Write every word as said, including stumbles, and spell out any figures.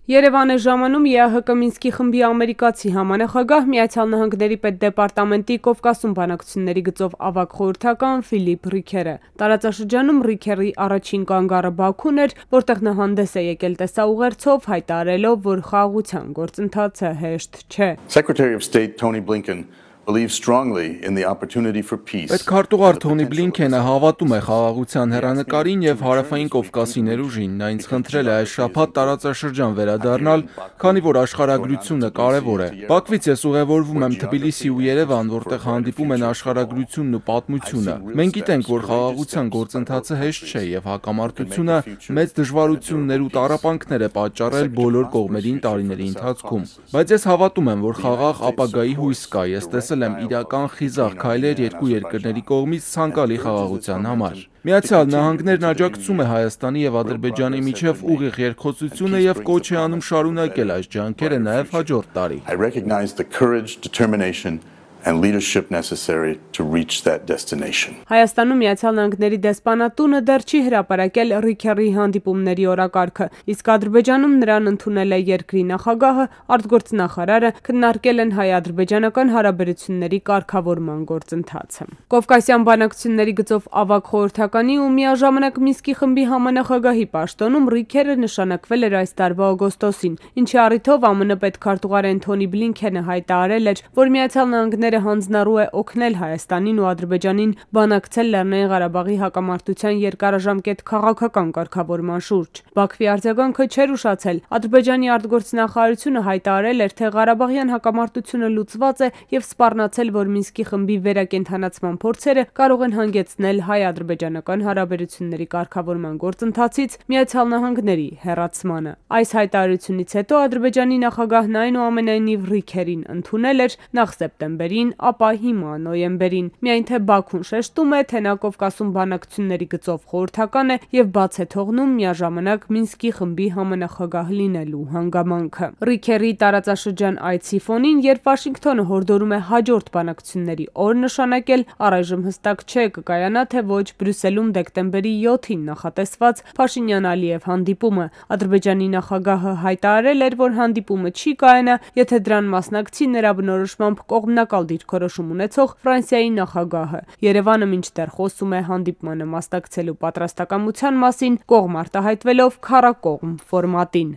Երևան է ժամանում ԵԱՀԿ Մինսկի խմբի ամերիկացի համանախագահ Միացյալ Նահանգների պետդեպարտամենտի Կովկասում բանակցությունների գծով ավագ խորհրդական Ֆիլիպ Ռիքերը։ Տարածաշրջանում Ռիքերի առաջին կանգառը Բաքուն էր, որտեղ նա հանդես է եկել տեսաուղերձով, հայտարարելով, որ խաղաղության գործընթացը հեշտ չէ։ Secretary of State Tony Blinken believes strongly in the opportunity for peace. Պետքարտուղար Թոնի Բլինքենը հավատում է խաղաղության հեռանկարին եւ հարավային Կովկասի ներուժին։ Նա ինձ խնդրել է այս շաբաթ տարածաշրջան վերադառնալ, քանի որ աշխարհագրությունը կարեւոր է։ Բաքվից ես ուղևորվում եմ Թբիլիսի ու Երևան, որտեղ հանդիպում են աշխարհագրությունն ու պատմությունը։ Մենք գիտենք, որ խաղաղության գործընթացը հեշտ չէ եւ հակամարտությունը մեծ դժվարություններ ու տառապանքներ է պատճառել բոլոր կողմերին տարիների ընթացքում։ Բայց ես հավատում եմ, որ խաղաղ ապագայի հույս կա։ Ես տեսել եմ իրական խիզախ քայլեր երկու երկրների կողմից ցանկալի խաղաղության համար։ Միացյալ Նահանգներն աջակցում է Հայաստանի եւ Ադրբեջանի միջև ուղիղ երկխոսությունը եւ կոչ է անում շարունակել այս ջանքերը նաեւ հաջորդ տարի։ I recognize the courage, determination and leadership necessary to reach that destination. Հայաստանում Միացյալ Նահանգների դեսպանատունը դեռ չի հրապարակել Ռիքերի հանդիպումների օրակարգը, իսկ Ադրբեջանում նրան ընդունել է երկրի նախագահը, արտգործնախարարը, քննարկել են հայ-ադրբեջանական հարաբերությունների կարգավորման գործընթացը։ Կովկասյան բանակցությունների գծով ավագ խորհրդականի ու միաժամանակ Մինսկի խմբի համանախագահի պաշտոնում Ռիքերը նշանակվել էր այս տարվա օգոստոսին, ինչի առիթով ԱՄՆ պետքարտուղար Թոնի Բլինքենը հայտարարել էր, որ Միացյալ Նահանգները հանձնառու է օգնել Հայաստանին ու Ադրբեջանին բանակցել Լեռնային Ղարաբաղի հակամարտության երկարաժամկետ քաղաքական կարգավորման շուրջ։ Բաքվի արձագանքը չէր ուշացել։ Ադրբեջանի արտգործնախարարությունը հայտարարել էր, թե Ղարաբաղյան հակամարտությունը լուծված է եւ սպառնացել, որ Մինսկի խմբի վերակենդանացման փորձերը կարող են հանգեցնել հայ-ադրբեջանական հարաբերությունների կարգավորման գործընթացից Միացյալ Նահանգների հեռացմանը։ Այս հայտարարությունից հետո Ադրբեջանի նախագահն այնուամենայնիվ Ռիքերին ընդունել էր նախ սեպտեմբերին, ապա հիմա նոյեմբերին։ Միայն թե Բաքուն շեշտում է, թե նա Կովկասում բանակցությունների գծով խորհրդական է եւ բաց է թողնում միաժամանակ Մինսկի խմբի համանախագահ լինելու հանգամանքը։ Ռիքերի տարածաշրջան այցի ֆոնին, երբ Վաշինգտոնը հորդորում է հաջորդ բանակցությունների օր նշանակել, առայժմ հստակ չէ կկայանա թե ոչ Բրյուսելում դեկտեմբերի յոթին նախատեսված Փաշինյան-Ալիև հանդիպումը։ Ադրբեջանի նախագահը հայտարարել էր, որ հանդիպումը չի կայանա, եթե դրան մասնակցի նրա բնորոշմամբ կողմնակալ դիրքորոշում ունեցող Ֆրանսիայի նախագահը։ Երևանը մինչդեռ խոսում է հանդիպմանը մասնակցելու պատրաստակամության մասին, կողմ արտահայտվելով քառակողմ ֆորմատին։